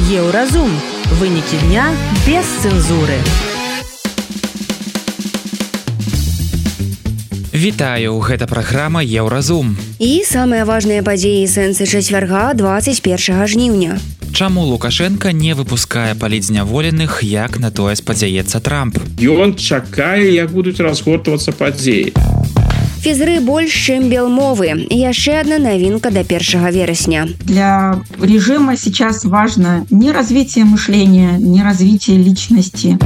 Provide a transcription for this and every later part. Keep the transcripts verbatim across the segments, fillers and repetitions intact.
Еўразум. Вынікі дня без цэнзуры. Вітаю, гэта праграма Еўразум. І самыя важныя падзеі і сэнсы чацвярга двадцать першага жніўня. Чаму Лукашенка не выпускае палітзняволеных, як на тое спадзяецца Трамп? Ён чакае, як будуць разгортвацца падзеі. Фізры больш, чым белмовы. І яшчэ одна новинка до первого вересня. Для режима сейчас важно не развитие мышления, не развитие личности.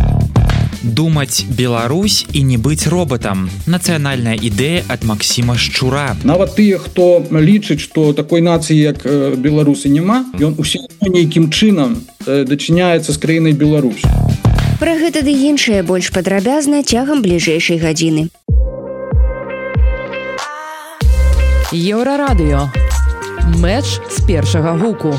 Думаць Беларусь і не быць роботам. Нацыянальная ідэя ад Максіма Шчура. Нават тыя, хто лічыць, што такой нацыі, як беларусы, няма, ён усё нейкім чынам дачыняецца з краінай Беларусь. Пра гэта ды іншае больш падрабязна цягам бліжэйшай гадзіны. Еўрарадыё. Мэч з першага гуку.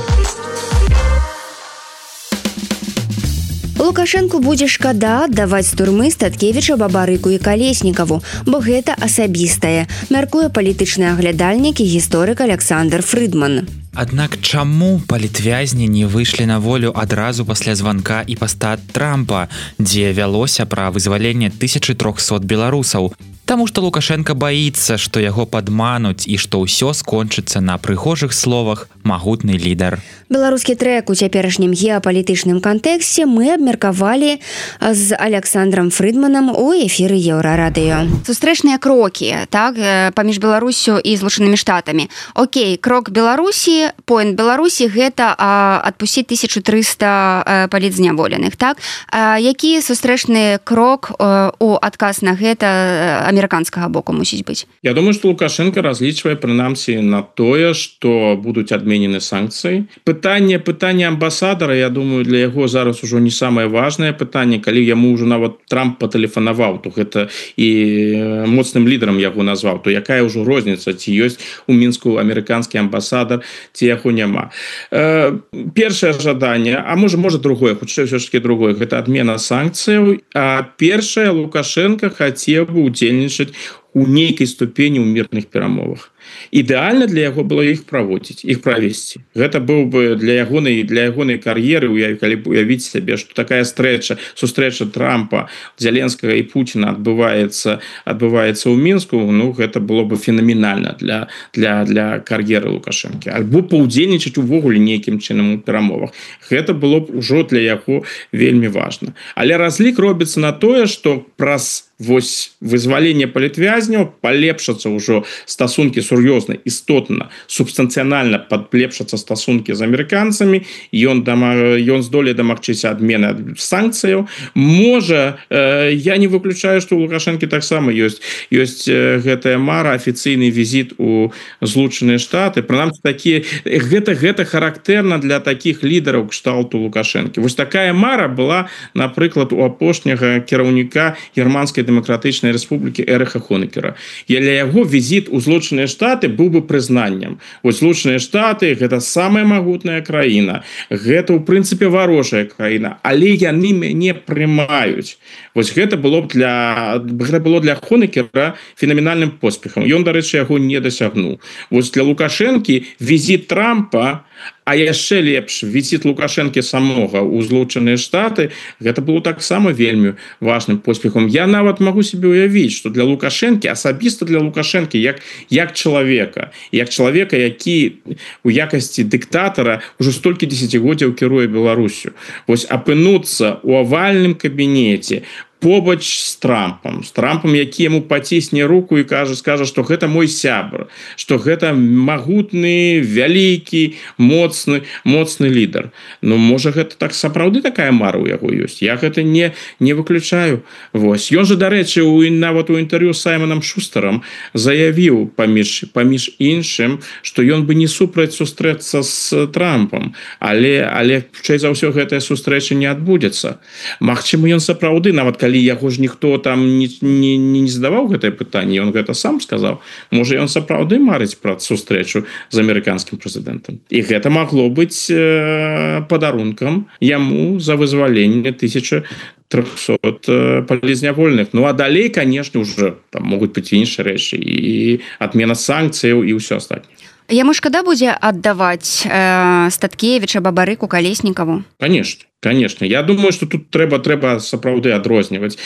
Лукашэнку будзе шкада аддаваць з турмы Статкевіча, Бабарыку і Калеснікаву, бо гэта асабістае, мяркуе палітычны аглядальнік і гісторык Александр Фрыдман. Аднак чаму палітвязні не выйшлі на волю адразу пасля званка і паста Трампа, дзе вялося пра вызваленне тысячы трохсот беларусаў? Таму што Лукашенка баіцца, што яго падмануць і што ўсё скончыцца на прыгожых словах магутны лідар. Беларускі трэк у цяперашнім геапалітычным кантэксце мы абмеркавалі з Александром Фрыдманам у эфіры Еўрарадыё. Сустрэчныя крокі, так, паміж Беларусю і Злучанымі Штатамі. Окей, крок Беларусі, поінт Беларусі гэта а, адпусціць тысячу трыста палітзняволеных, так? А, які сустрэчны крок а, у адказ на гэта амерыканскага боку мусіць быць? Я думаю, што Лукашенко разлічвае прынамсі на тое, што будуць адменены санкцыі. Пытанне, пытанне амбасадара, я думаю, для яго зараз ужо не самае важнае пытанне, калі яму ўжо нават Трамп патэлефанаваў, то гэта і моцным лідарам яго назваў, то якая ўжо розніца, ці ёсць у Мінску амерыканскі амбасадар, ці яго няма. Э, першае жаданне, а можа, можа другое, хутчэй ўсё ж такі другое, гэта адмена санкцыяў, а першае Лукашенко хацеў бы удзельнічаць у нейкай ступені ў мірных перамовах. Ідэальна для яго было іх праводзіць, іх правесці. Гэта быў бы для ягонай для ягонай кар'еры, калі б уявіць сябе, што такая стрэча, сустрэча Трампа, Зеленскага і Пуціна адбываецца адбываецца ў Мінску, ну гэта было бы фенаменальна для для для кар'еры Лукашэнкі. Альбо паўдзельнічаць увогуле нейкім чынам у перамовах. Гэта было б ужо для яго вельмі важна. Але разлік робіцца на тое, што праз вось вызваленне палітвязняў палепшацца ўжо стасункі сур'ёзна, істотна, субстанцыянальна палепшацца стасункі з амерыканцамі, ён дама, ён здолее дамагчыся адмены санкцыяў. Можа, э, я не выключаю, што у Лукашэнкі таксама ёсць ёсць э, гэтая мара, афіцыйны візіт у Злучаныя Штаты. Прынамсі такія гэта гэта характэрна для такіх лідараў кшталту Лукашэнкі. Вось такая мара была, напрыклад, у апошняга кіраўніка германскай Демократычнай Рэспублікі Эриха Хонекера. І для яго візіт у Злучаныя Штаты быў бы прызнаннем. Вось Злучаныя Штаты гэта самая магутная краіна. Гэта ў прынцыпе варожая краіна, але яны мяне прымаюць. Вось гэта было б для гэта было для Хонекера фенаменальным поспехам. Ён, дарэчы, яго не дасягнуў. Вось для Лукашэнкі візіт Трампа, а яшчэ лепш візіт Лукашэнкі самога ў Злучаныя Штаты, гэта было таксама вельмі важным поспехам. Я нават могу себе уявіць, што для Лукашэнкі, асабіста для Лукашэнкі, як як чалавека, як чалавека, які у якасці дыктатара ўжо столькі дзесяцігоддзяў кіруе Беларусю. Вось апынуцца ў авальным кабінеце побач з Трампам, з Трампам, які яму пацісне руку і кажа, скажа, што гэта мой сябр, што гэта магутны, вялікі, моцны, моцны лідар. Ну, можа, гэта так сапраўды такая мара ў яго ёсць. Я гэта не, не выключаю. Вось. Ён жа, дарэчы, у, нават у інтэрв'ю з Саймонам Шустарам заявіў паміж, паміж іншым, што ён бы не супраць сустрэцца з Трампам, але, але хутчэй за ўсё гэтая сустрэча не адбудзецца. Магчыма, ён сапраўды, нават калі яго ж ніхто там не, не, не задаваў гэтае пытанне, ён гэта сам сказаў. Можа, ён сапраўды марыць пра сустрэчу з амерыканскім прэзідэнтам. І гэта магло быць э, падарункам яму за вызваленне тысячы трохсот палізнявольных. Ну, а далей, конечно, уже там могуць быць іншыя рэчы і адмена санкцыяў і ўсё астатняе. Яму шкада будзе аддаваць э, Статкевіча, Бабарыку, Калеснікаву? Конечно. Конечно, я думаю, что тут трэба трэба сапраўды адрозніваць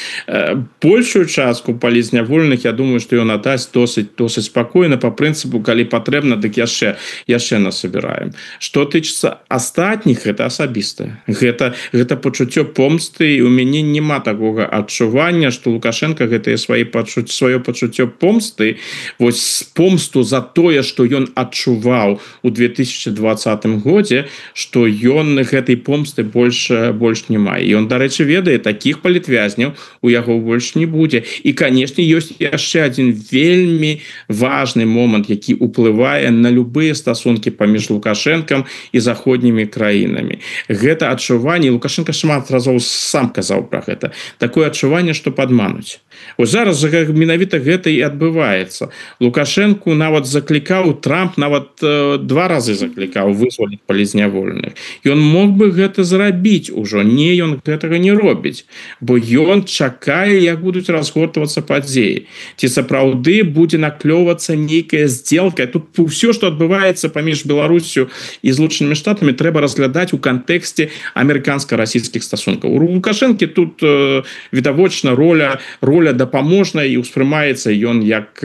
большую частку палізнявольных. Я думаю, что ён аддасць досыць досыць спакойна по прынцыпу, калі патрэбна, дык яшчэ яшчэ насабіраем. Что тычыцца астатніх, гэта асабістае, гэта гэта пачуццё помсты, і у мяне няма такога адчування, что Лукашенко гэтае свае пачуцці сваё пачуццё помсты, вось помсту за тое, что ён адчуваў у две тысячи двадцатым годзе, что ён гэтай помсты больш больш не мае. І он, дарэчы, ведае, такіх палітвязняў у яго больш не будзе. І, канешне, ёсць яшчэ адзін вельмі важны момант, які ўплывае на любыя стасункі паміж Лукашэнкам і заходнімі краінамі. Гэта адчуванне, Лукашенко шмат разоў сам казаў пра гэта, такое адчуванне, што падмануць. Ось зараз менавіта гэта і адбываецца. Лукашенку нават заклікаў, Трамп нават э, два разы заклікаў вызваліць палізнявольных. Ён мог бы гэта зрабіць ужо, не, ён гэтага не робіць, бо ён чакае, як будуць разгортвацца падзеі. Ці сапраўды будзе наклёвацца нейкая сделка. Тут ўсё, што адбываецца паміж Беларусю і Злучанымі Штатамі, трэба разглядаць у кантэксце амерыканска-расійскіх стасункаў. У Лукашэнкі тут э, відавочна роля роля дапаможная, і ўспрымаецца ён як,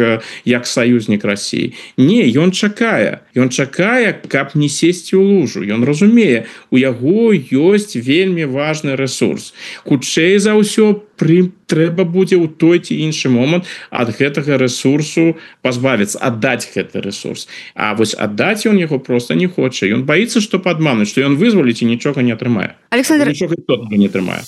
як саюзнік Расіі. Не, ён чакае. Ён чакае, каб не сесці ў лужу. Ён разумее, у яго ёсць вельмі важны ресурс. Хутчэй за ўсё пры трэба будзе ў той ці іншы момант ад гэтага ресурсу пазбавіцца, аддаць гэты ресурс. А вось аддаць ён яго просто не хоча. Ён баіцца, што падмануць, што ён вызваліць і нічога не атрымае. Александр... Нічога не атрымае.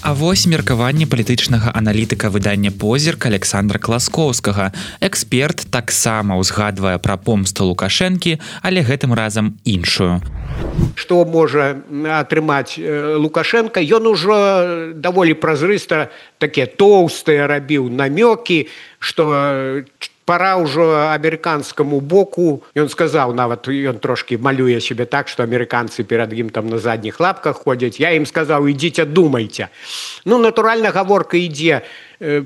А вось меркаванне палітычнага аналітыка выдання «Позірк» Александра Класкоўскага. Эксперт таксама ўзгадвае пра помсту Лукашэнкі, але гэтым разам іншую. Што можа атрымаць Лукашенко? Ён ужо даволі празрыста такія тоўстыя рабіў намёкі, што пора ўжо амерыканскаму боку. Ён сказаў, нават ён трошки малюе себе так, што амерыканцы перад ім там на задніх лапках ходзяць. Я ім сказаў, ідзіце, думайце. Ну, натуральна, гаворка ідзе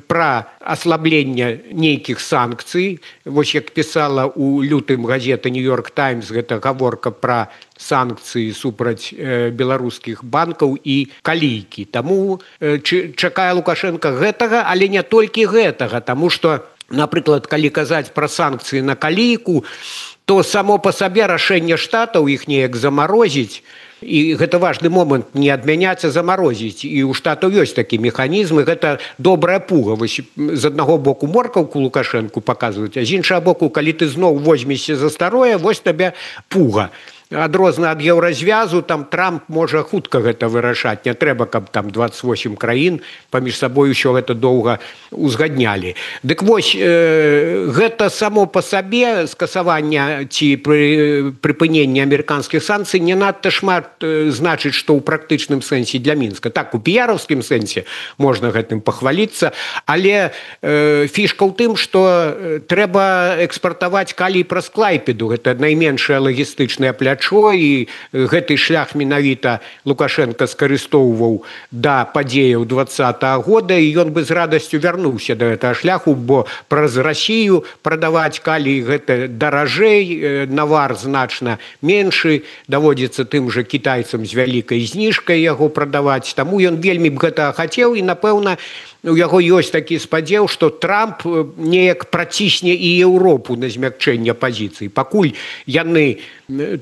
пра аслабленне нейкіх санкцый. Вось як пісала у лютым газета «Нью-Йорк Таймс», гэта гаворка пра санкцыі супраць беларускіх банкаў і калійкі. Таму чакае Лукашенко гэтага, але не толькі гэтага, таму што, напрыклад, калі казаць пра санкцыі на калійку, то само па сабе рашэнне штатаў іх неяк замарозіць, і гэта важны момант, не адмяняць, а замарозіць. І ў штатаў ёсць такі механізмы, гэта добрая пуга. Вось з аднаго боку моркаўку Лукашэнку паказваюць, а з іншага боку, калі ты зноў возьмешся за старое, вось табе пуга. Адрозна ад еўразвязу, там Трамп можа хутка гэта вырашаць. Не трэба, каб там дваццаць восем краін паміж сабой усё гэта доўга узгаднялі. Дык вось, э, гэта само па сабе скасаванне ці пры, прыпыненне амерыканскіх санкцый не надта шмат э, значыць, што ў практычным сэнсе для Мінска. Так, у піяраўскім сэнсе можна гэтым пахваліцца, але э, фішка ў тым, што э, трэба экспартаваць калій праз Клайпеду. Гэта найменшае лагістычнае плячо, і гэты шлях менавіта Лукашенко скарыстоўваў да падзеяў двадцатага года, і ён бы з радасцю вярнуўся да гэтага шляху, бо праз Расію прадаваць калій гэта даражэй, навар значна меншы, даводзіцца тым жа кітайцам з вялікай зніжкай яго прадаваць. Таму ён вельмі б гэтага хацеў, і, напэўна, у яго ёсць такі спадзеў, што Трамп неяк працісне і Еўропу на змякчэнне пазіцый. Пакуль яны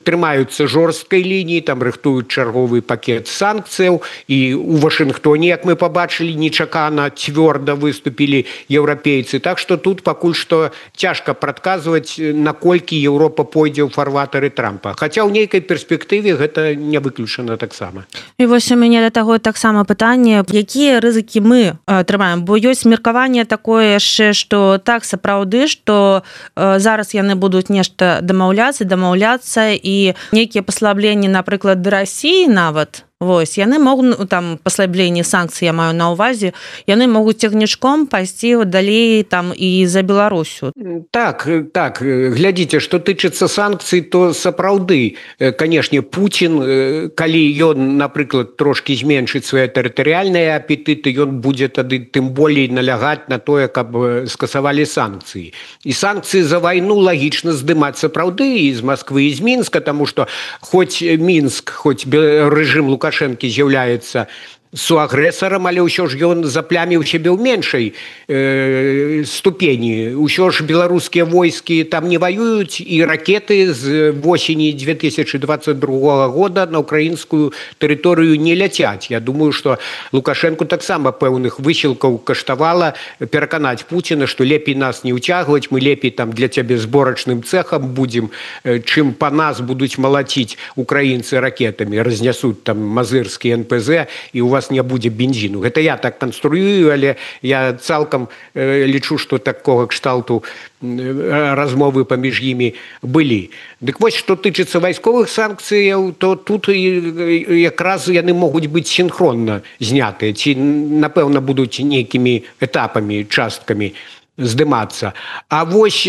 трымаюцца жорсткай лініі, там рыхтуюць чарговы пакет санкцыяў, і у Вашынгтоне, як мы пабачылі, нечакана цвёрда выступілі еўрапейцы. Так што тут пакуль што цяжка прадказваць, наколькі Еўропа пойдзе ў фарватары Трампа. Хаця ў нейкай перспектыве гэта не выключана таксама. І вось у мяне да таго таксама пытанне, якія рызыкі мы атрымаем, бо ёсць меркаванне такое яшчэ, што так сапраўды, што э, зараз яны будуць нешта дамаўляцца, дамаўляцца, і нейкія паслабленні, напрыклад, да Расіі нават Вось яны могуць там паслабленне санкцый я маю на ўвазе яны могуць цягнічком пайсці далей там і за Беларусю. Так так глядзіце, што тычыцца санкцый, то сапраўды канешне Пуцін калі ён напрыклад трошки зменшыць свае тэрытарыяльныя апетыты, ён будзе тады тым болей налягаць на тое, каб скасавалі санкцыі. І санкцыі за вайну лагічна здымаць сапраўды і з Москвы і з Мінска, таму што хоць Мінск, хоць рэжым Лукашэнкі з'яўляецца суагрэсарам, але ўсё ж ён запляміў сябе ў меншай э, ступені. Усё ж беларускія войскі там не ваююць і ракеты з восені две тысячи двадцать другого года на украінскую тэрыторыю не ляцяць. Я думаю, што Лукашэнку таксама пэўных высілкаў каштавала пераканаць Пуціна, што лепей нас не ўцягваць, мы лепей там для цябе зборачным цэхам будзем, чым па нас будуць малаціць украінцы ракетамі, разнясуць там мазырскі эн пэ зэ і у вас не будзе бензіну. Гэта я так канструюю, але я цалкам э, лічу, што такога кшталту э, размовы паміж імі былі. Дык вось, што тычыцца вайсковых санкцыяў, то тут якраз яны могуць быць сінхронна знятыя, ці, напэўна, будуць нейкімі этапамі, часткамі здымацца. А вось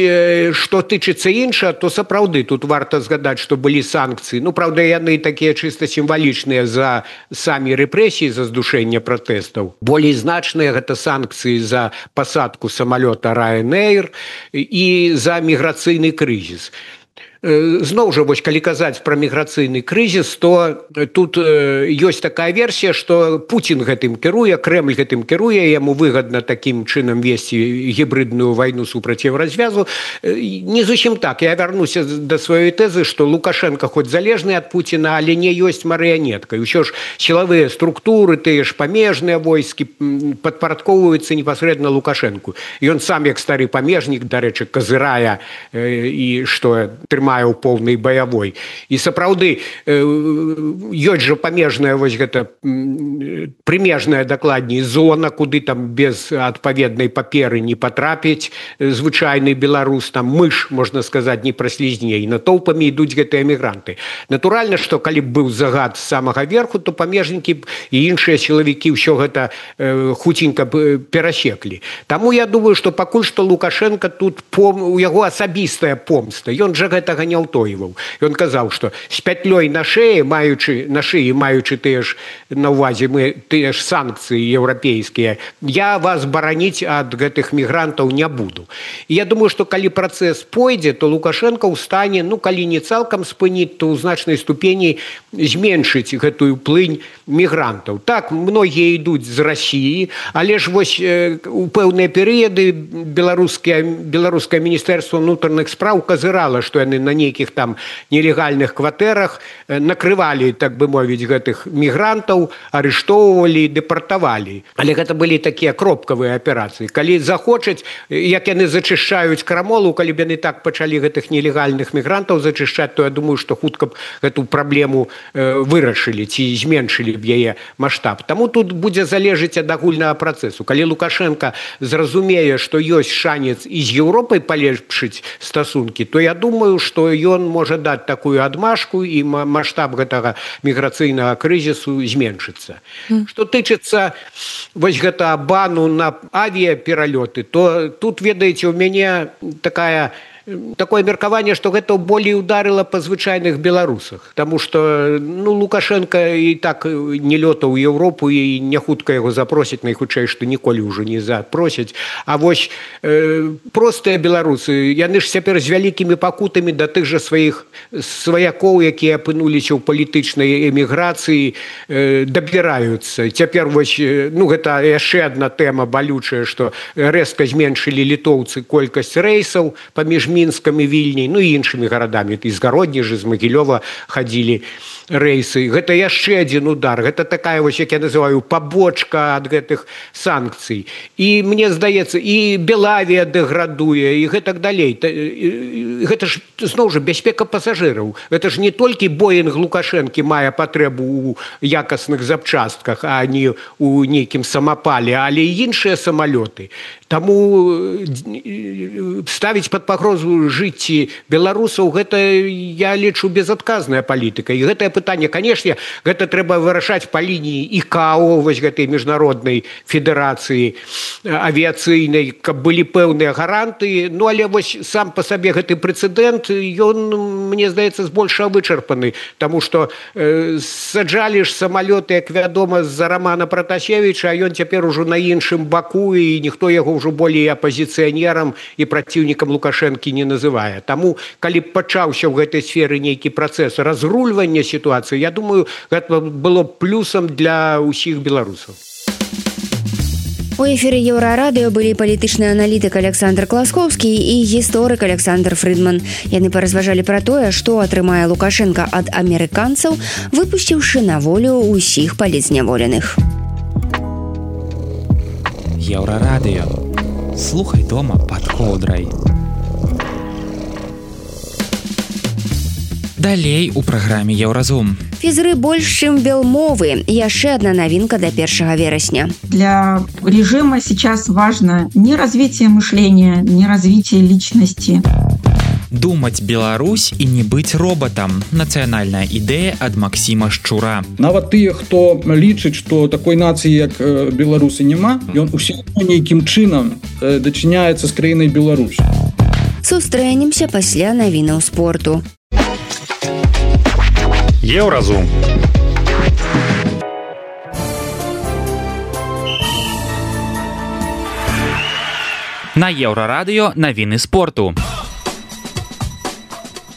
што тычыцца інша, то сапраўды тут варта згадаць, што былі санкцыі. Ну, праўда, яны такія чыста сімвалічныя за самі рэпрэсіі, за здушэнне пратэстаў. Болей значныя гэта санкцыі за пасадку самалёта Ryanair і за міграцыйны крызіс. Зноў жа, вось, калі казаць пра міграцыйны крызіс, то тут ёсць такая версія, што Пуцін гэтым кіруе, Крэмль гэтым кіруе, яму выгадна такім чынам весці гібридную вайну супраць Еўразвязу. Не зусім так. Я вярнуся да сваёй тэзы, што Лукашенко хоць залежны ад Пуціна, але не ёсць марыянеткай. Усё ж сілавыя структуры, тыя ж памежныя войскі падпарадкоўваюцца непасрэдна Лукашенку. Ён сам, як стары памежнік, дарэчы, казырае і што трымае у поўнай баявой. І сапраўды ёсць жа памежная вось гэта прымежная дакладней зона, куды там без адпаведнай паперы не патрапіць звычайны беларус, там мыш, можна сказаць, не праслізне, і натоўпамі ідуць гэтыя мігранты. Натуральна, што калі б быў загад з самага верху, то памежнікі і іншыя сілавікі ўсё гэта хуценька б перасеклі. Таму я думаю, што пакуль што Лукашенко тут пом... у яго асабістая помста. Ён жа гэтага не ўтойваў. Ён казаў, што з пятлёй на шее, маючы на шыі, маючы тыя ж на ўвазе мы тыя ж санкцыі еўрапейскія, я вас бараніць ад гэтых мігрантаў не буду. І я думаю, што калі працэс пойдзе, то Лукашенко ў стане, ну калі не цалкам спыніць, то ў значнай ступені зменшыць гэтую плынь мігрантаў. Так, многія ідуць з Расіі, але ж вось э, у пэўныя перыяды беларускае беларускае міністэрства ўнутраных спраў казырала, што яны на нейкіх там нелегальных кватэрах накрывалі, так бы мовіць, гэтых мігрантаў, арыштоўвалі, дэпартавалі. Але гэта былі такія кропкавыя аперацыі. Калі захочуць, як яны зачышчаюць крамолу, калі б яны так пачалі гэтых нелегальных мігрантаў зачышчаць, то я думаю, што хутка б гэту праблему э, вырашылі ці зменшылі б яе маштаб. Таму тут будзе залежыць ад агульнага працэсу. Калі Лукашенко зразумее, што ёсць шанец і з Еўропай палепшыць стасункі, то я думаю, што ён можа даць такую адмашку і маштаб гэтага міграцыйнага крызісу зменшыцца. Mm. Што тычыцца вось гэта бану на авіяпералёты, то тут, ведаеце, у мяне такая такое меркаванне, што гэта болей ударыла па звычайных беларусах, таму што ну Лукашенко і так не лётаў у Еўропу і не хутка яго запросяць, найхутчэй што ніколі ўжо не запросяць. А вось э, простыя беларусы, яны ж цяпер з вялікімі пакутамі да тых жа сваіх сваякоў, якія апынуліся ў палітычнай эміграцыі, э, дабіраюцца. Цяпер вось ну гэта яшчэ адна тэма балючая, што рэзка зменшылі літоўцы колькасць рэйсаў паміж Мінскам і Вільняй, ну і іншымі гарадамі. І з Гародніжа, з Магілёва хадзілі рэйсы. Гэта яшчэ адзін удар. Гэта такая, вось, як я называю, пабочка ад гэтых санкцый. І мне здаецца, і Белавія дэградуе, і гэтак далей. Гэта ж, зноў жа, бяспека пасажыраў. Гэта ж не толькі Боінг Лукашэнкі мае патрэбу ў якасных запчастках, а не ў нейкім самапале, але і іншыя самалёты. Таму ставіць пад пагрозу жыцці беларусаў, гэта я лічу безадказная палітыка. І гэтае пытанне, канешне, гэта трэба вырашаць па лініі ікао, вось гэтай міжнароднай федэрацыі авіяцыйнай, каб былі пэўныя гаранты. Ну але вось сам па сабе гэты прэцэдэнт, ён, мне здаецца, збольшага вычарпаны, таму што э, саджалі ж самалёты, як вядома, з-за Романа Пратасевіча, а ён цяпер ужо на іншым баку, і ніхто яго ўжо болей апазіцыянерам і праціўнікам Лукашэнкі не называе. Таму, калі пачаўся ў гэтай сферы нейкі працэс разрульвання сітуацыі, я думаю, гэта было плюсам для ўсіх беларусаў. У эфіры Еўрарадыё былі палітычны аналітык Александр Класкоўскі і гісторык Александр Фрыдман. Яны паразважалі пра тое, што атрымае Лукашенка ад амерыканцаў, выпусціўшы на волю ўсіх палітзняволеных. Еўрарадыё. Слухай дома пад коўдрай. Далей у праграме Еўразум. Фізры больш, чым белмовы. Яшчэ одна навінка до первого вересня. Для режима сейчас важно не развитие мышления, не развитие личности. Думаць Беларусь і не быць робатам. Нацыянальная ідэя ад Максіма Шчура. Нават тыя, хто лічыць, што такой нацыі, як беларусы, няма, ён усё нейкім чынам дачыняецца з краінай Беларусь. Сустрэнемся пасля навінаў спорту. Еўразум. На Еўрарадыё навіны спорту.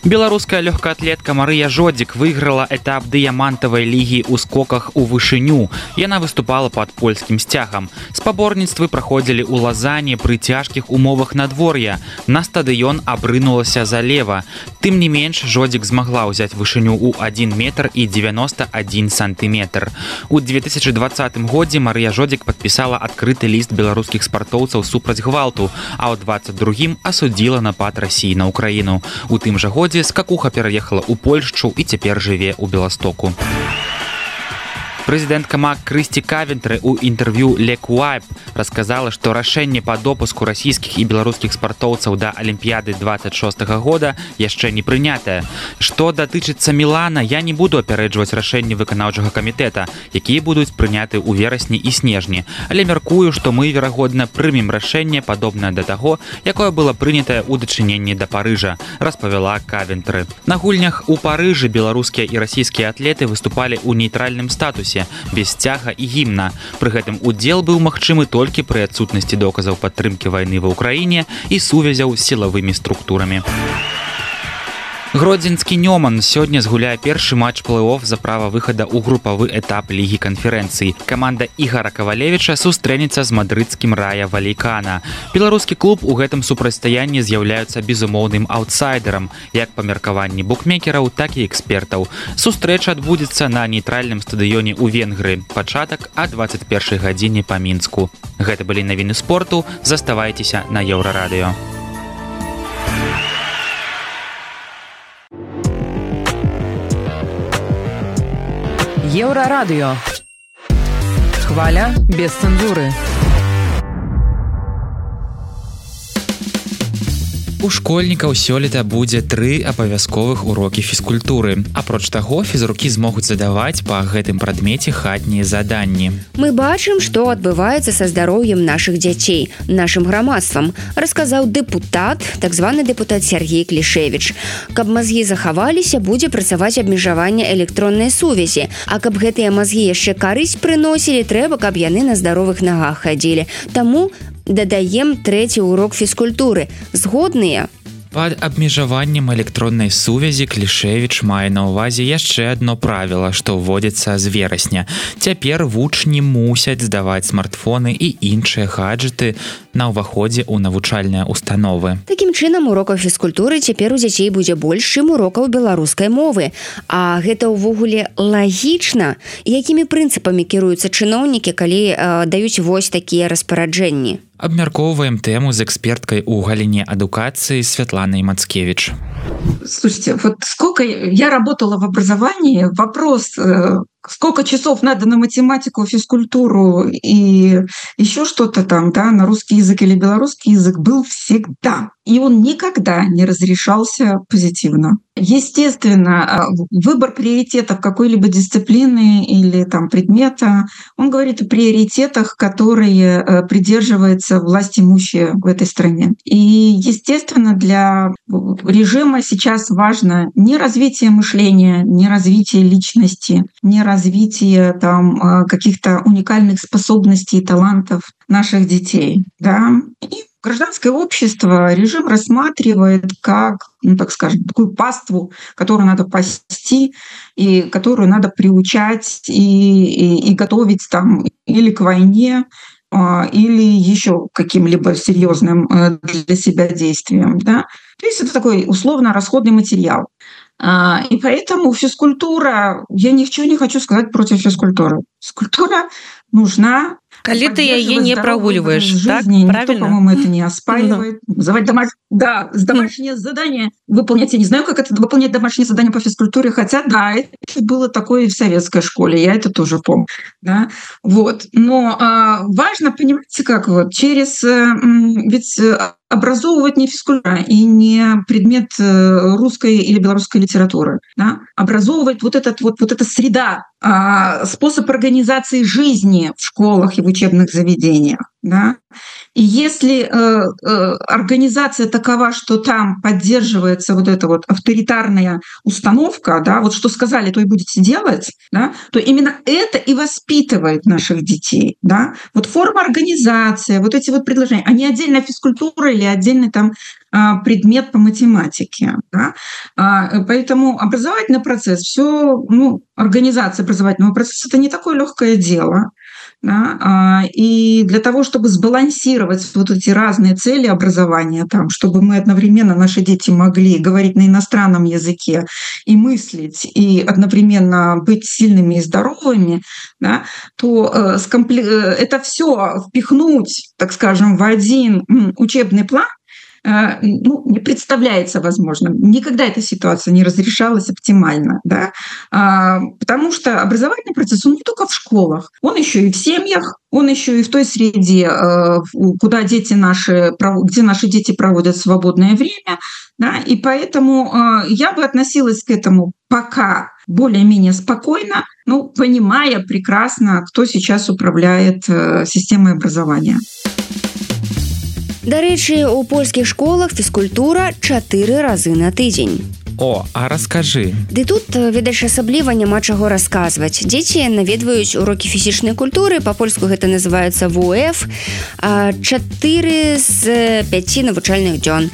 Беларуская лёгкаатлетка Марыя Жодзік выйграла этап дыямантавай лігі ў скоках у вышыню. Яна выступала пад польскім сцягам. Спаборніцтвы праходзілі ў Лазані пры цяжкіх умовах надвор'я. На стадыён абрынулася залева. Тым не менш, Жодзік змагла ўзяць вышыню ў адзін метр і дзевяноста адзін сантыметр. У две тысячы двадцатым годзе Марыя Жодзік падпісала адкрыты ліст беларускіх спартоўцаў супраць гвалту, а ў двадцать другім асудзіла напад Расіі на Украіну. У тым жа годзе скакуха пераехала ў Польшчу і цяпер жыве ў Беластоку. Прэзідэнтка МАК Крысці Кавентры ў інтэрв'ю Лекуайб расказала, што рашэнне па допуску расійскіх і беларускіх спартоўцаў да Алімпіяды двадцать шостага года яшчэ не прынятае. Што датычыцца Мілана, я не буду апярэджваць рашэнні выканаўчага камітэта, якія будуць прыняты ў верасні і снежні, але мяркую, што мы, верагодна, прымем рашэнне падобнае да таго, якое было прынятае ў дачыненні да Парыжа, распавяла Кавентры. На гульнях у Парыжы беларускія і расійскія атлеты выступалі ў нейтральным статусе, без сцяга і гімна. Пры гэтым удзел быў магчымы толькі пры адсутнасці доказаў падтрымкі вайны ва ўкраіне і сувязяў з сілавымі структурамі. Гродзенскі Нёман сёння згуляе першы матч плэй-оф за права выхада ў групавы этап лігі канферэнцыі. Каманда Ігара Кавалевіча сустрэнецца з мадрыдскім Рая Валейкана. Беларускі клуб у гэтым супрацьстаянні з'яўляецца безумоўным аўтсайдерам, як па меркаванні букмекераў, так і экспертаў. Сустрэча адбудзецца на нейтральным стадыёне ў Венгрыі. Пачатак а двадцать першай гадзіне па Мінску. Гэта былі навіны спорту. Заставайцеся на Еўрарадыё. Еўрарадыё. Хваля без цэнзуры. У школьнікаў сёлета будзе тры абавязковых урокі фізкультуры. Апроч таго, фізрукі змогуць задаваць па гэтым прадмеце хатнія заданні. Мы бачым, што адбываецца са здароўем нашых дзяцей, нашым грамадствам, расказаў дэпутат, так званы дэпутат Сергей Клішевіч. Каб мазгі захаваліся, будзе працаваць абмежаванне электроннай сувязі. А каб гэтыя мазгі яшчэ карысць прыносілі, трэба, каб яны на здаровых нагах хадзілі. Таму дадаем трэці урок фізкультуры. Згодныя? Пад абмежаваннем электроннай сувязі Клішевіч мае на ўвазе яшчэ адно правіла, што ўводзіцца з верасня. Цяпер вучні мусяць здаваць смартфоны і іншыя гаджеты на ўваходзе ў навучальныя установы. Такім чынам, урокаў фізкультуры цяпер у дзяцей будзе больш, чым урокаў беларускай мовы. А гэта ўвогуле лагічна? Якімі прынцыпамі кіруюцца чыноўнікі, калі э, даюць вось такія распараджэнні? Абмяркоўваем тэму з эксперткай у галіне адукацыі Светланой Мацкевич. Слушайте, вот сколько я работала в образовании, вопрос, сколько часов надо на математику, физкультуру и еще что-то там, да, на русский язык или белорусский язык был всегда. и он никогда не разрешался позитивно. Естественно, выбор приоритетов какой-либо дисциплины или там предмета, он говорит о приоритетах, которые придерживаются власть имущие в этой стране. И, естественно, для режима сейчас важно не развитие мышления, не развитие личности, не развитие там каких-то уникальных способностей и талантов наших детей. Да? И гражданское общество режим рассматривает как, ну, так скажем, такую паству, которую надо пасти и которую надо приучать и, и, и готовить там или к войне, или еще каким-либо серьезным для себя действиям. Да? То есть это такой условно-расходный материал. И поэтому физкультура, я ничего не хочу сказать против физкультуры. Физкультура нужна. Калі ты яе не прогуливаешь, так? Правильно? Никто, по-моему, это не оспаривает. Называть домаш... Да, домашнее задание выполнять. Я не знаю, как это выполнять домашнее задание по физкультуре, хотя, да, это было такое и в советской школе, я это тоже помню. Да? Вот. Но а, важно, понимаете, как вот через... Ведь образовывать не физкультура и не предмет русской или белорусской литературы. Да? Образовывать вот, этот, вот, вот эта среда, способ организации жизни в школах и в учебных заведениях. Да? И если э, э, организация такова, что там поддерживается вот эта вот авторитарная установка, да, вот что сказали, то и будете делать, да, то именно это и воспитывает наших детей. Да? Вот форма организации, вот эти вот предложения, а не отдельная физкультура или отдельный там предмет по математике. Да? Поэтому образовательный процесс, все, ну, организация образовательного процесса — это не такое легкое дело. Да? И для того, чтобы сбалансировать вот эти разные цели образования, там, чтобы мы одновременно, наши дети могли говорить на иностранном языке и мыслить, и одновременно быть сильными и здоровыми, да, то это все впихнуть, так скажем, в один учебный план, ну, не представляется возможным. Никогда эта ситуация не разрешалась оптимально, да? Потому что образовательный процесс, он не только в школах, он еще и в семьях, он еще и в той среде, куда дети наши, где наши дети проводят свободное время, да? И поэтому я бы относилась к этому пока более-менее спокойно, ну, понимая прекрасно, кто сейчас управляет системой образования. Дарэчы, у польскіх школах фізкультура чатыры разы на тыдзень. О, а раскажы. Ды тут, відаць, асабліва няма чаго расказваць. Дзеці наведваюць урокі фізічнай культуры, па-польску гэта называецца вэ у эф, чатыры з пяці навучальных дзён.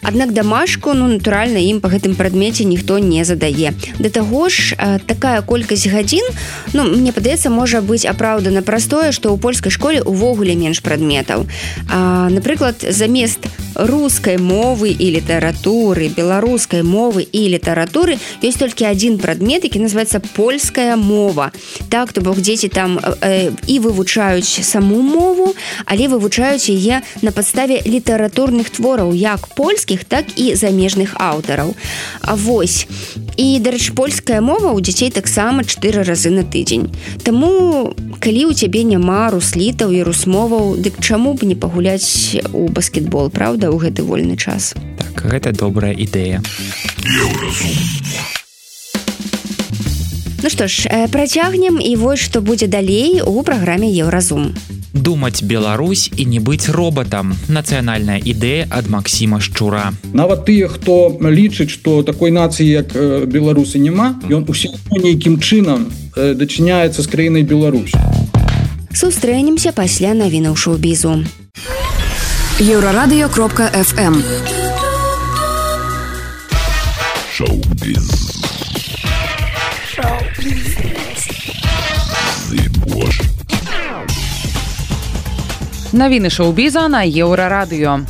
Аднак дамашку, ну, натуральна, ім па гэтым прадмеце ніхто не задае. Да таго ж, такая колькасць гадзін, ну, мне падаецца, можа быць апраўдана праз тое, што ў польскай школе ўвогуле менш прадметаў. А, напрыклад, замест рускай мовы і літаратуры, беларускай мовы і літаратуры ёсць толькі адзін прадмет, які называецца польская мова. Так, то бок дзеці там э, і вывучаюць саму мову, але вывучаюць яе на падставе літаратурных твораў, як польскіх, так і замежных аўтараў. А вось. І, дарэчы, польская мова ў дзяцей таксама чатыры разы на тыдзень. Таму, калі ў цябе няма руслітаў і русмоваў, дык чаму б не пагуляць у баскетбол, правда, ў гэты вольны час? Так, гэта добрая ідэя. Ну што ж, працягнем, і вось што будзе далей у праграме Еўразум. Думаць Беларусь і не быць робатам. Нацыянальная ідэя ад Максіма Шчура. Нават тыя, хто лічыць, што такой нацыі, як беларусы, няма, ён усё нейкім чынам дачыняецца з краінай Беларусь. Сустрэнемся пасля навінаў шоу-бізу. Еўрарадыё кропка эф эм. Шоу-біз. Шоу-біз. Зыбош. Навіны шоу-біза на Еўрарадыё.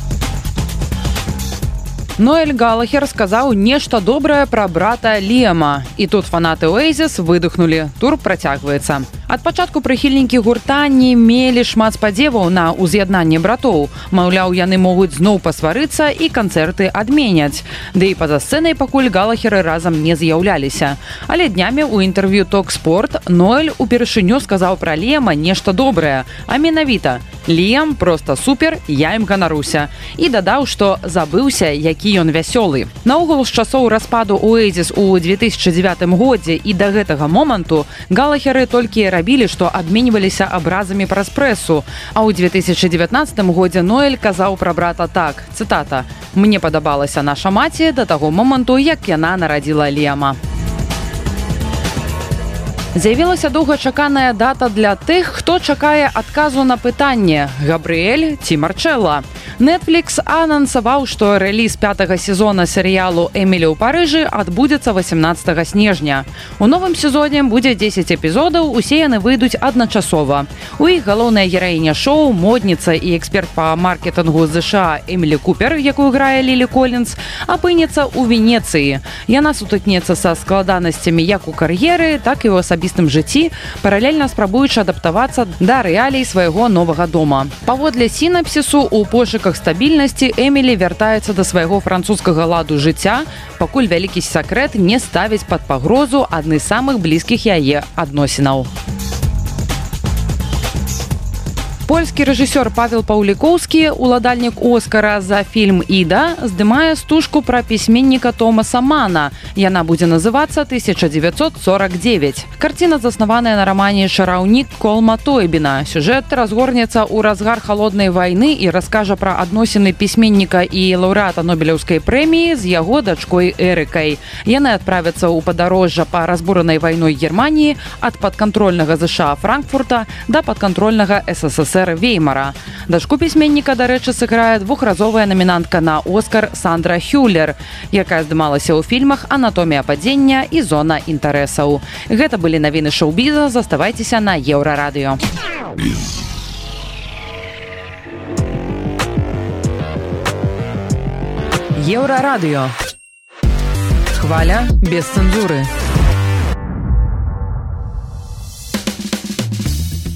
Ноэль Галахер сказаў нешта добрае пра брата Лема. І тут фанаты Оэзіс выдохнулі. Тур працягваецца. Ад пачатку прыхільнікі гурта не мелі шмат спадзеваў на ўз'яднанне братоў. Маўляў, яны могуць зноў пасварыцца і канцэрты адменяць. Ды і па-за сцэнай пакуль Галахеры разам не з'яўляліся. Але днямі ў інтэрв'ю Ток Спорт Ноэль упершыню сказаў пра Лема нешта добрае, а менавіта Лем просто супер, я ім ганаруся. І дадаў, што забыўся, які ён вясёлы. Наогул, з часоў распаду Oasis у две тысячи девятым годзе і да гэтага моманту Галахеры толькі рабілі, што абменьваліся абразамі праз прэсу. А ў две тысячи девятнадцатым годзе Ноэль казаў пра брата так, цытата: «Мне падабалася наша маці да таго моманту, як яна нарадзіла Лема». З'явілася доўгачаканая дата для тых, хто чакае адказу на пытанне: Габрыэль ці Марчэлла. Netflix анансаваў, што рэліз пятага сезона серыялу «Эмілі ў Парыжы» адбудзецца восемнадцатага снежня. У новым сезоне будзе дзесяць эпізодаў, усе яны выйдуць адначасова. У іх галоўная гераіня шоу, модніца і эксперт па маркетынгу ЗША Эмілі Купер, якую грае Лілі Коллінз, апынецца ў Венецыі. Яна сутыкнецца са складанасцямі як у кар'еры, так і ў асабістым жыцці, паралельна спрабуючы адаптавацца да рэалій свайго новага дома. Паводле сінапсісу, у пошуках стабільнасці Эмілі вяртаецца да свайго французскага ладу жыцця, пакуль вялікі сакрэт не ставіць пад пагрозу адны з самых блізкіх яе адносінаў. Польскі рэжысёр Павел Паўлікоўскі, уладальнік Оскара за фільм «Іда», здымае стужку пра пісьменніка Томаса Мана. Яна будзе называцца тысяча девятьсот сорок девять. Карціна заснаваная на рамане «Чараўнік Колма Тойбіна». Сюжэт разгорнецца ў разгар халоднай вайны і раскажа пра адносіны пісьменніка і лаўрэата Нобелеўскай прэміі з яго дачкой Эрыкай. Яны адправяцца ў падарожжа па разбуранай вайной Германіі ад падкантрольнага ЗША Франкфурта да падкантрольнага СССР Веймара. Дачку пісьменніка, дарэчы, сыграе двухразовая намінантка на Оскар Сандра Хюллер, якая здымалася ў фільмах «Анатомія падзення» і «Зона інтарэсаў». Гэта былі навіны шоу-біза, заставайцеся на Еўрарадыё. Еўрарадыё. Хваля без цэнзуры.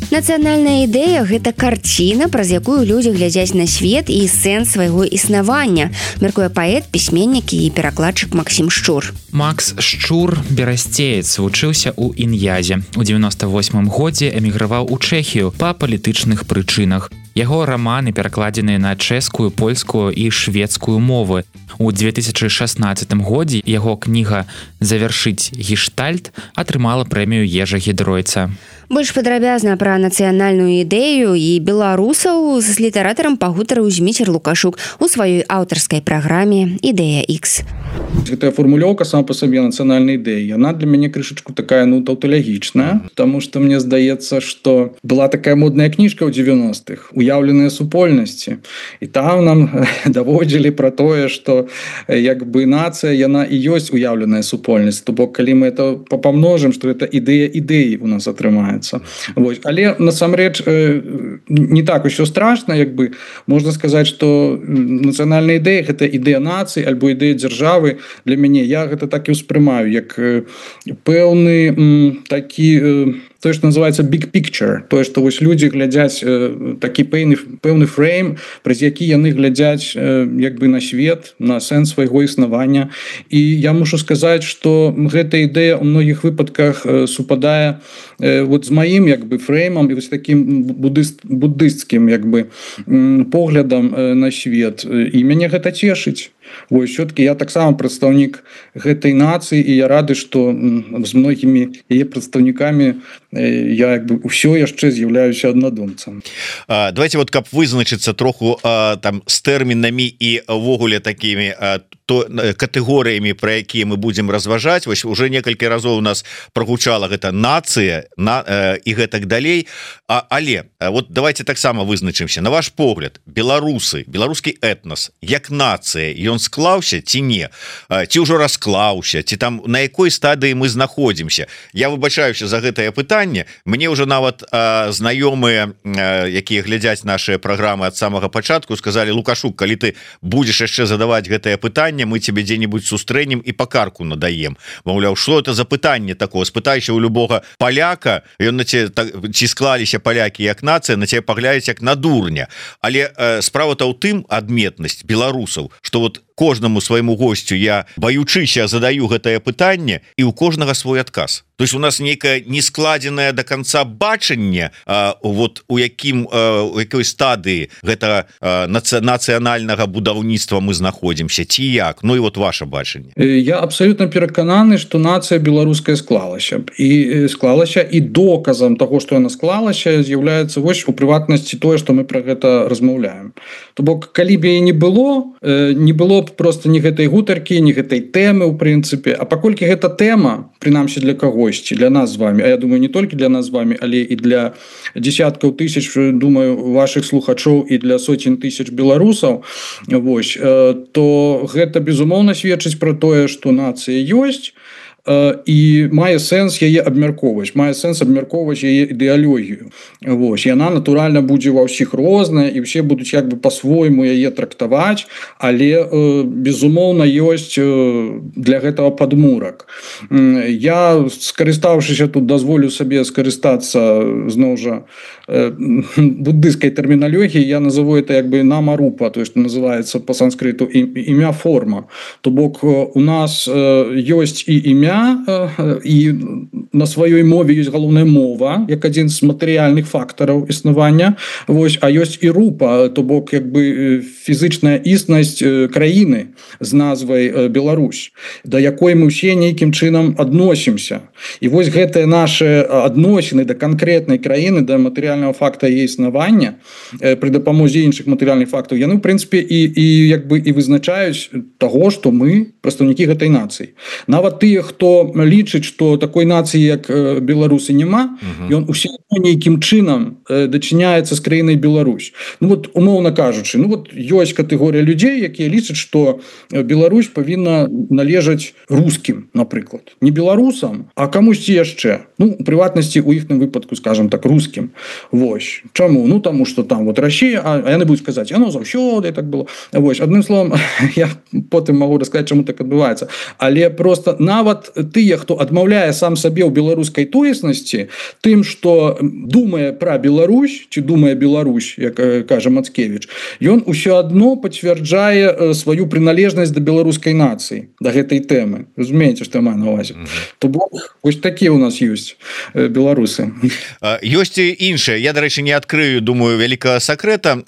Нацыянальная ідэя – гэта карціна, праз якую людзі глядзяць на свет і сэнс свайго існавання, мяркуе паэт, пісьменнік і перакладчык Максім Шчур. Макс Шчур, берасцеец, вучыўся ў Ін'язе. У девяносто восьмым годзе эміграваў у Чэхію па палітычных прычынах. Яго раманы перакладзеныя на чэшскую, польскую і шведскую мовы. У две тысячи шестнадцатым годзе яго кніга «Завяршыць гештальт» атрымала прэмію Ежа Гідройца. Больш падрабязна пра нацыянальную ідэю і беларусаў з літаратарам пагутарыў Зміцер Лукашук у сваёй аўтарскай праграме «Ідэя Х». Гэтая формулёўка сама па сабе нацыянальнай ідэі, яна для мяне крышачку такая, ну, таўталагічная, потому что мне здаецца, што была такая модная кніжка ў девяностых «Уяўленыя супольнасці». І там нам даводзілі пра тое, што як бы нацыя, яна і ёсць уяўленая супольнасць. То бок, калі мы это памножым, што гэта ідэя ідэі у нас атрымаецца. Вось. Але насамрэч не так усё страшна, як бы можна сказаць, што нацыянальная ідэя гэта ідэя нацыі альбо ідэя дзяржавы. Для мяне я гэта так і ўспрымаю, як пэўны такі, тое, што называецца big picture, тое, што вось людзі глядзяць такі пэўны, пэўны фрейм, праз які яны глядзяць як бы на свет, на сэнс свайго існавання. І я мушу сказаць, што гэта ідэя ў многіх выпадках супадае вот з маім як бы фреймам і вось такім буддыст, буддысцкім як бы поглядам на свет. І мяне гэта цешыць. Вось, все-таки я таксама прадстаўнік гэтай нацыі, і я рады, што з многімі яе прадстаўнікамі я як бы ўсё яшчэ з'яўляюся аднадумцам. Давайте вот каб вызначыцца троху там з тэрмінамі і ўвогуле такімі то катэгорыямі, пра якія мы будзем разважаць. Вось уже некалькі разоў у нас прагучала гэта нацыя на і гэтак далей. А, але вот давайте таксама вызначымся. На ваш погляд, беларусы, беларускі этнос як нацыя, ён склаўся ці не? Ці ўжо расклаўся, ці там на якой стадыі мы знаходзімся? Я выбачаюся за гэтае пытанне. Мне ўжо нават а, знаёмыя, а, якія глядзяць нашыя праграмы ад самага пачатку, сказалі: Лукашук, калі ты будзеш яшчэ задаваць гэтае пытанне, мы тебе дзе-нибудь сустрэнем і па карку надаем. Маўляў, что это за пытанне такое? Спытайся у любога паляка, ён на те, так, ці склаліся палякі як нацыя, на тебе паглядзяць як на дурня. Але э, справа-то ў тым адметнасць беларусаў, что вот кожнаму свайму госцю я баючыся задаю гэтае пытанне і у кожнага свой адказ. То есть у нас нейкае нескладзенае до конца бачанне, вот у якім у якой стадыі гэта нацыянальнага будаўніцтва мы знаходзімся ці як. Ну і вот ваше бачанне. Я абсолютно перакананы, што нацыя беларуская склалася і склалася і доказам того, што яна склалася, з'яўляецца вось у прыватнасці тое, што мы про гэта размаўляем. То бок калі б яе не было, не было б просто ні гэтай гутаркі, ні гэтай тэмы ў прынцыпе, а паколькі гэта тэма, прынамсі для каго, для нас с вами, а я думаю не только для нас с вами, але и для десятков тысяч, думаю, ваших слухачоў и для сотен тысяч беларусаў, вось, то гэта безумоўна сведчыць про тое, что нация есть, і мае сэнс яе абмяркоўваць, мае сэнс абмяркоўваць яе ідэалогію. Вось, яна натуральна будзе ва ўсіх розная і все будуць як бы по-свойму яе трактаваць, але безумоўна ёсць для гэтага падмурак. Я, скарыстаўшыся тут, дазволю сабе скарыстацца зноў жа буддыйской терминологии, я назову это як бы намарупа, то есть называется по санскриту имя форма. То бок у нас ёсць і імя, і на сваёй мове ёсць галоўная мова як адзін з матэрыяльных фактараў існавання, вось, а ёсць і рупа, то бок як бы фізычная існасць краіны з назвай Беларусь, да якой мы ўсе нейкім чынам адносімся. І вось гэтыя нашы адносіны да канкрэтнай краіны, да матэрыяльнага факта яе існавання пры дапамозе іншых матэрыяльных фактаў, яны ў прынцыпе і, і як бы і вызначаюць таго, што мы прадстаўнікі гэтай нацыі. Нават тыя, хто лічыць, што такой нацыі як беларусы няма, ён усе нейкім чынам дачыняецца з краінай Беларусь. Ну вот умоўна кажучы, ну вот ёсць катэгорыя людзей, якія лічаць, што Беларусь павінна належаць рускім, напрыклад, не беларусам, а камусьці яшчэ, ну у прыватнасці у іхным выпадку, скажем так, рускім. Вось. Чаму? Ну таму што там вот Расія, а яны будуць казаць, яно заўсёды так было. Вось, адным словам, я потым магу расказаць, чаму так адбываецца, але просто нават тыя, хто адмаўляе сам сабе ў беларускай тоеснасці тым, што думае пра Беларусь ці думае Беларусь, як кажа Мацкевіч, ён усё адно пацвярджае сваю прыналежнасць да беларускай нацыі, да гэтай тэмы. Разумееце, што я маю на ўвазе. То бок вось такія ў нас ёсць беларусы. Ёсць і іншае. Я, дарэчы, не адкрыю, думаю, вялікага сакрэта.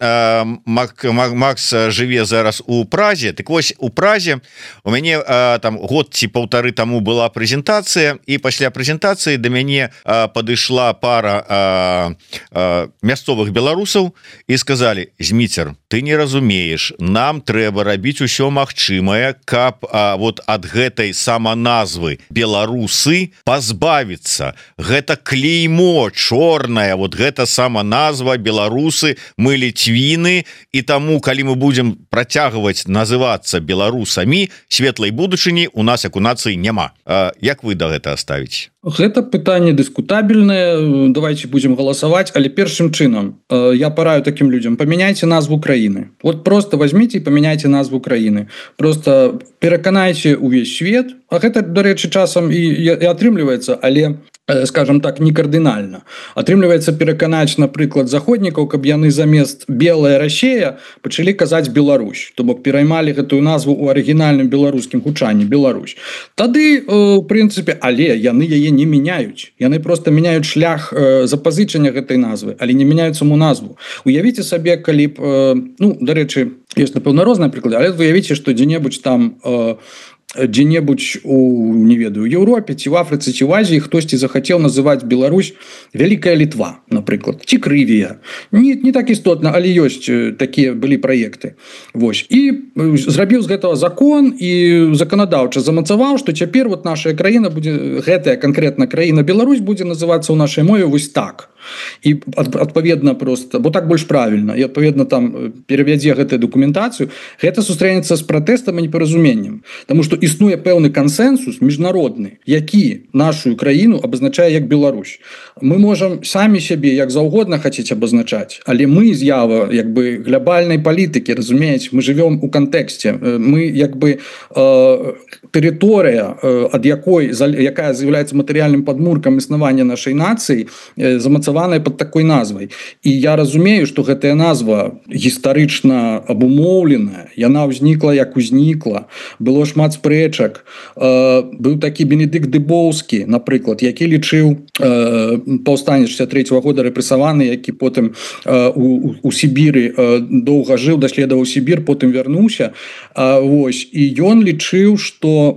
Макс жыве зараз у Празе. Так вось, у Празе у мяне там год ці паўтары таму была прэзентацыя, і пасля прэзентацыі да мяне падышла пара а, а, мясцовых беларусаў і сказалі: Зміцер, ты не разумееш, нам трэба рабіць усё магчымае, каб а, вот ад гэтай саманазвы беларусы пазбавіцца. Гэта клеймо чорнае, вот гэта саманазва беларусы, мы ліцвіны, і таму калі мы будзем працягваць называцца беларусамі, светлай будучыні у нас як у нацыі няма. А, як вы да гэта ставіце? Гэта пытанне дыскутабельнае, давайте будем галасаваць, але першым чынам я параю таким людям: памяняйте назву краіны. Вот просто возьмите и поменяйте назву краіны. Просто пераканайце увесь свет, а гэта, дарэчы, часам і, і атрымліваецца, але скажем так, не кардынальна. Атрымліваецца пераканаць, напрыклад, заходнікаў, каб яны замест белая Расія пачалі казаць Беларусь, то бок пераймалі гэтую назву ў арыгінальным беларускім гучанні Беларусь. Тады, у прынцыпе, але яны яе не мяняюць. Яны просто мяняюць шлях запазычання гэтай назвы, але не мяняюць саму назву. Уявіце сабе, калі б, ну, дарэчы, ёсць, напэўна, розныя прыклады, але уявіце, што дзе-небудзь там дзе-небудзь у, не ведаю, Еўропе ці в Афрыцы ці в Азіі хтосьці захацеў называць Беларусь Вялікая Літва, напрыклад, ці Крывія. Не, не так істотна, але ёсць такія былі праекты. Вось. І зрабіў з гэтага закон і заканадаўча замацаваў, што цяпер вот наша краіна будзе, гэтая канкрэтна краіна Беларусь будзе называцца ў нашай мове вось так. І адпаведна просто, бо так больш правільна, і адпаведна там перавядзе гэтую дакументацыю, гэта сустрэнецца з пратэстам і непаразуменнем. Таму што існуе пэўны кансэнсус міжнародны, які нашу краіну абазначае як Беларусь. Мы можам самі сябе як заўгодна хацець абазначаць, але мы з'ява як бы глобальнай палітыкі, разумееце, мы жывём у кантэксце. Мы як бы э, тэрыторыя, э, ад якой, якая з'яўляецца матэрыяльным падмуркам існавання нашай нацыі, э, замацавана легалізаваная под такой назвай. І я разумею, што гэтая назва гістарычна абумоўленая, яна ўзнікла як узнікла, было шмат спрэчак. Быў такі Бенедыкт Дыбоўскі, напрыклад, які лічыў паўстанец шэсцьдзесят трэцяга года рэпрэсаваны, які потым у, у Сібіры доўга жыў, даследаваў Сібір, потым вярнуўся. Вось. І ён лічыў, што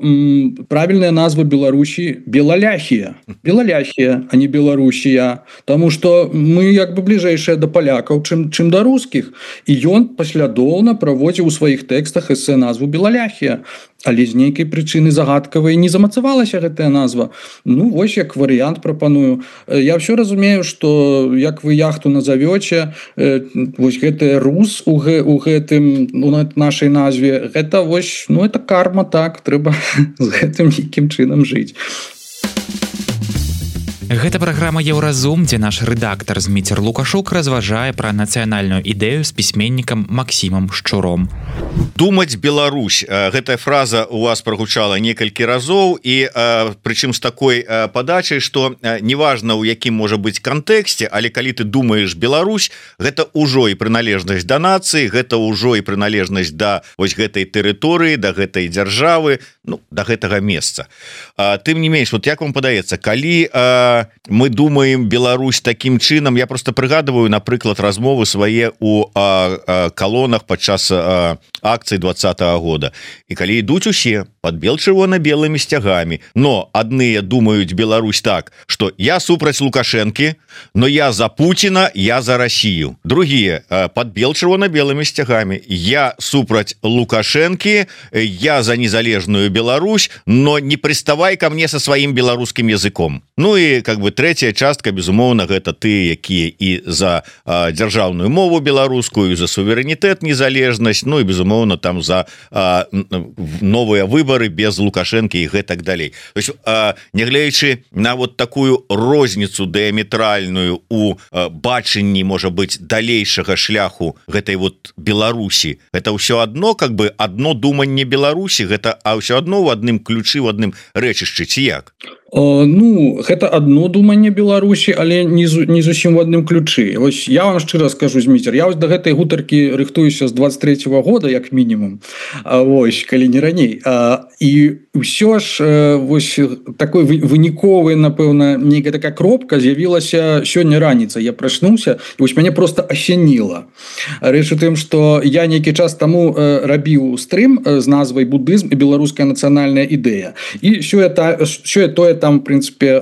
правільная назва Беларусі Белаляхія. Белаляхія, а не Беларусія. Таму што мы як бы бліжэйшыя да палякаў, чым, чым да рускіх. І ён паслядоўна праводзіў у сваіх тэкстах эсэ назву Белаляхія. Але з нейкай прычыны загадкавай не замацавалася гэтая назва. Ну, вось як варыянт прапаную. Я ўсё разумею, што як вы яхту назавёце, вось гэты рус у, гэ, у гэтым у нашай назве, гэта вось, ну, это карма, так, трэба з гэтым нейкім чынам жыць. Гэта праграма Еўразум, дзе наш рэдактар Зміцер Лукашук разважае пра нацыянальную ідэю з пісьменнікам Максімам Шчуром. Думаць Беларусь. Гэтая фраза у вас прагучала некалькі разоў, і прычым з такой падачай, што неважна, у якім можа быць кантэксце, але калі ты думаеш Беларусь, гэта ўжо і прыналежнасць да нацыі, гэта ўжо і прыналежнасць да вось гэтай тэрыторыі, да гэтай дзяржавы, ну, да гэтага месца. Тым не менш, вот як вам падаецца, калі мы думаем Беларусь таким чынам, я просто прыгадываю, напрыклад, размовы свае у калонах падчас акцый двадцатого года. І калі ідуць усе под бел-чырвона-белымі сцягамі, но адныя думаюць Беларусь так, что я супраць Лукашэнкі, но я за Путина, я за Россию. Другие под бел-чырвона-белымі сцягамі, я супраць Лукашэнкі, я за незалежную Беларусь, но не приставай ко мне со своим беларускім языком. Ну і как бы третья частка, безумоўна, гэта ты, якія і за а, дзяржаўную мову беларускую, за суверэнітэт, незалежнасць, ну і безумоўна там за а, новыя выборы без Лукашэнкі і гэтак далей. То есть, а, нягледзячы на вот такую розніцу дыаметральную у а, бачанні, можа быць, далейшага шляху гэтай вот Беларусі, гэта ўсё адно, как бы адно думанне Беларусі, гэта а ўсё адно ў адным ключы, в адным рэчышчы, ці як? Ну, гэта одно думанне Беларусі, але не, не зусім в адным ключы. Вось я вам шчыра скажу, Зміцер, я вось да гэтай гутаркі рыхтуюся з двадцать третьего года, як мінімум, вось, калі не раней. І ўсё ж вось такой выніковы, напэўна, нейкая такая кропка з'явілася сёння раніца. Я прачнуўся, і вось мяне просто асяніла. Рэч у тым, што я нейкі час таму рабіў стрым з назвай «Будызм і беларуская нацыянальная ідэя». І сёе-тое там, в принципе,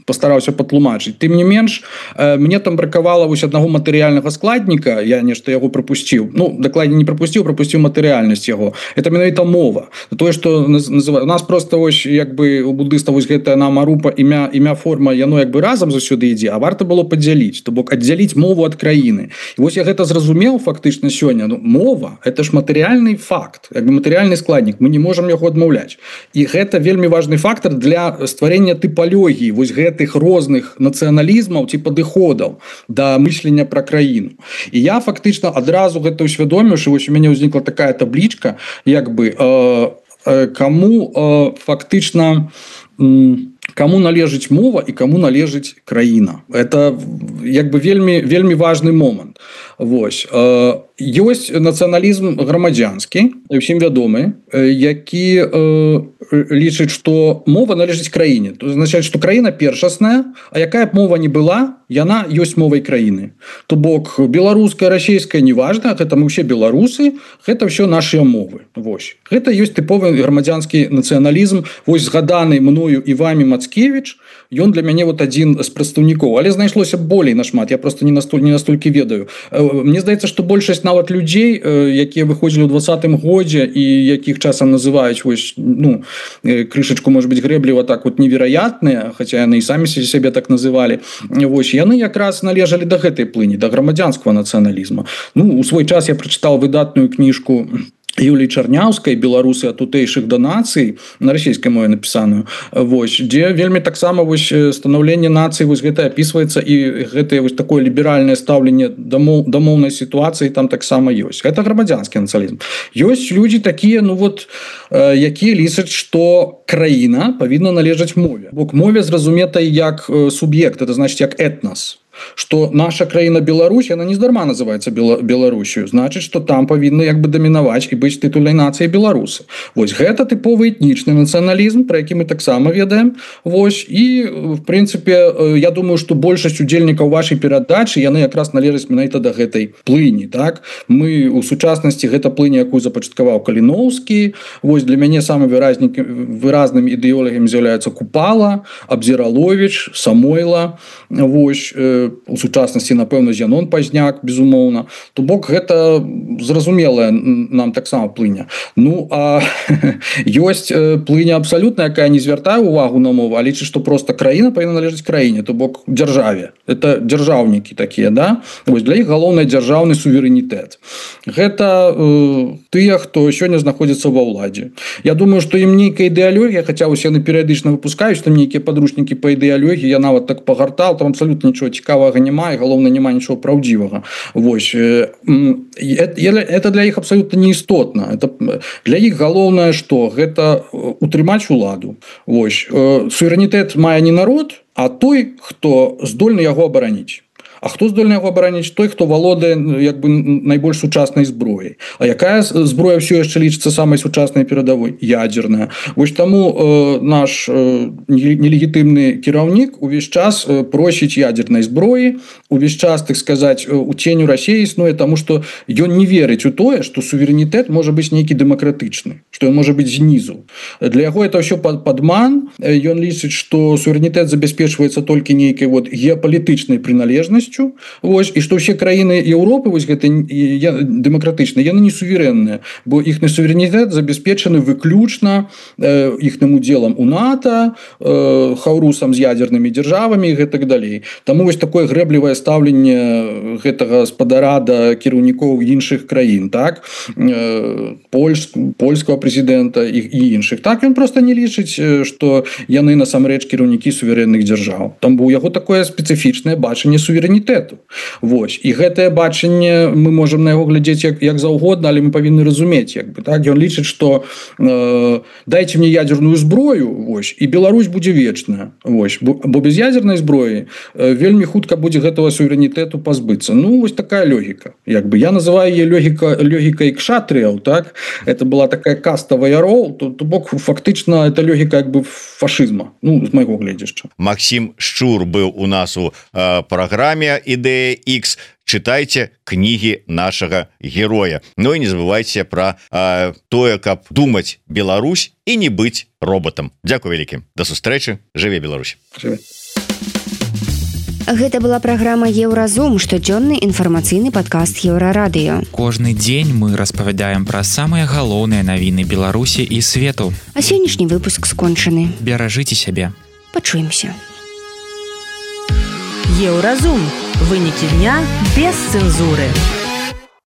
постараўся патлумачыць. Тым не менш, мне там бракавала вось аднаго матэрыяльнага складніка, я нешта яго прапусціў. Ну, дакладней не прапусціў, прапусціў матэрыяльнасць яго. Это менавіта мова. Тое, што называю, у нас просто вось як бы у буддыстаў вось гэтая намарупа, імя, імя, форма, яно як бы разам заўсёды ідзе, а варта было падзяліць, то бок аддзяліць мову ад краіны. І вось я гэта зразумеў фактычна сёння. Ну, мова это ж матэрыяльны факт, як бы матэрыяльны складнік, мы не можам яго адмаўляць. І гэта вельмі важны фактор для стварэння тыпалогіі вось гэтых розных нацыяналізмаў ці падыходаў да мыслення пра краіну. І я фактычна адразу гэта ўсвядоміў, што вось у мяне ўзнікла такая таблічка, як бы э, э, каму э, фактычна э, каму належыць мова і каму належыць краіна. Это як бы вельмі вельмі важны момант. Вось э, ёсць нацыяналізм грамадзянскі, усім вядомы, які э, лічыць, што мова належыць краіне. То азначае, што краіна першасная, а якая б мова не была, яна ёсць мовай краіны. То бок беларуская, расійская не важна, гэта мы ўсе беларусы, гэта ўсё нашыя мовы. Вось. Гэта ёсць тыповы грамадзянскі нацыяналізм, вось згаданы мною і вамі Мацкевіч, ён для мяне вот адзін з прадстаўнікоў, але знайшлося болей нашмат, я просто не настоль, не настолькі ведаю. Мне здаецца, што большасць нават людзей, якія выходзілі ў двадцатым годзе і якіх часам называюць вось, ну, крышачку, может быть, грэбліва так вот невероятныя, хаця яны і самі сябе так называлі, вось, яны якраз належалі да гэтай плыні, да грамадзянскага нацыяналізма. Ну, у свой час я прачытаў выдатную кніжку Юліі Чарняўскай «Беларусы ад тутэйшых да нацый», на расійскай мове напісаную, вось, дзе вельмі таксама вось станаўленне нацыі вось гэта апісваецца, і гэтае вось такое ліберальнае стаўленне да моўнай сітуацыі там таксама ёсць. Гэта грамадзянскі нацыяналізм. Ёсць людзі такія, ну вот, якія лічаць, што краіна павінна належаць мове. Бок мове зразуметай як суб'ект, это значыць як этнас. что наша краіна Беларусь, она нездарма называется Беларусью, значит, что там павінны як бы дамінаваць і быць тытульнай нацыяй беларусы. Вось гэта тыповы этнічны нацыяналізм, про які мы таксама ведаем. Вось і в прынцыпе я думаю, что большасць удзельнікаў вашай перадачы яны якраз належаць менавіта да гэтай плыні. Так мы у сучаснасці гэта плыня, якую запачаткаваў Каліноўскі. Вось для мяне самым выразным ідэолагам з'яўляецца Купала, Абзіраловіч, Самойла. Вось у сучаснасці напэўна Зянон Пазняк, безумоўна. То бок гэта зразумелая нам таксама плыня. Ну а ёсць плыня абсалютна, якая не звяртае увагу на мову, а лічыць, што проста краіна павінна належаць краіне, то бок дзяржаве. Это дзяржаўнікі такія, да? Вось для іх галоўны дзяржаўны суверэнітэт. Гэта э, тыя, хто сёння знаходзіцца ва ўладзе. Я думаю, што ім нейкая ідэалогія, хаця вось яны перыядычна выпускаюць там нейкія падручнікі па ідэалогіі, я нават так пагартаў, там абсалютна нічого цікавага няма, і галоўна няма нічого праўдзівага. Вось э, это для іх абсалютна неістотна. Это для іх галоўнае што гэта утрымаць уладу. Вось э, суверэнітэт мае не народ, а той, хто здольны яго абараніць. А хто здольны яго абараніць? Той, хто валодае як бы найбольш сучаснай зброяй. А якая зброя ўсё яшчэ лічыцца самай сучаснай перадавой? Ядзерная. Вось таму э, наш э, нелегітымны кіраўнік увесь час э, просіць ядзернай зброі, увесь час, так сказаць, у ценю Расіі існуе, таму што ён не верыць у тое, што суверэнітэт можа быць нейкі дэмакратычны, што ён можа быць знізу. Для яго это ўсё падман. Ён лічыць, што суверэнітэт забяспечваецца толькі нейкай вот геапалітычнай прыналежнасцю. Вось, і што ўсе краіны Еўропы вось гэта дэмакратычныя, яны не суверэнныя, бо іхны суверэнітэт забяспечаны выключна э, іхным удзелам у НАТО, э, хаўрусам з ядзернымі дзяржавамі і гэтак далей. Таму вось такое грэблівае стаўленне гэтага спадара да кіраўнікоў іншых краін, так? Э, Польск, польскага прэзідэнта і, і іншых. Так ён проста не лічыць, што яны насамрэч кіраўнікі суверэнных дзяржаў. Там у яго такое спецыфічнае бачанне суверэнітэту. Вось. І гэтае бачанне мы можам на яго глядзець як, як заўгодна, але мы павінны разумець, як бы, так? Ён лічыць, што э, дайце мне ядзерную зброю, вось, і Беларусь будзе вечная. Вось. Бо, бо без ядзернай зброі э, вельмі хутка будзе гэтага суверэнітэту пазбыцца. Ну, вось такая логіка. Як бы. Я называю яе логіка, логікай кшатрыяў, так? Это была такая каста ваяроў, то, то бок фактычна это логіка як бы фашызма, ну, з майго гледзяшча. Максим Шчур быў у нас у э, праграме Ідэя Ікс. Читайте книги нашего героя. Ну и не забывайте про э, тое, каб думать Беларусь и не быть роботом. Дякую вялікі. До сустрэчы. Жыве Беларусь. Жыве. Гэта была праграма Еўразум, штодзённы інфармацыйны падкаст Еўрарадыё. Кожны дзень мы распавядаем пра самыя галоўныя навіны Беларусі і свету. А сённяшні выпуск скончаны. Беражыце сябе. Пачуемся. Еўразум. Вынікі дня без цэнзуры.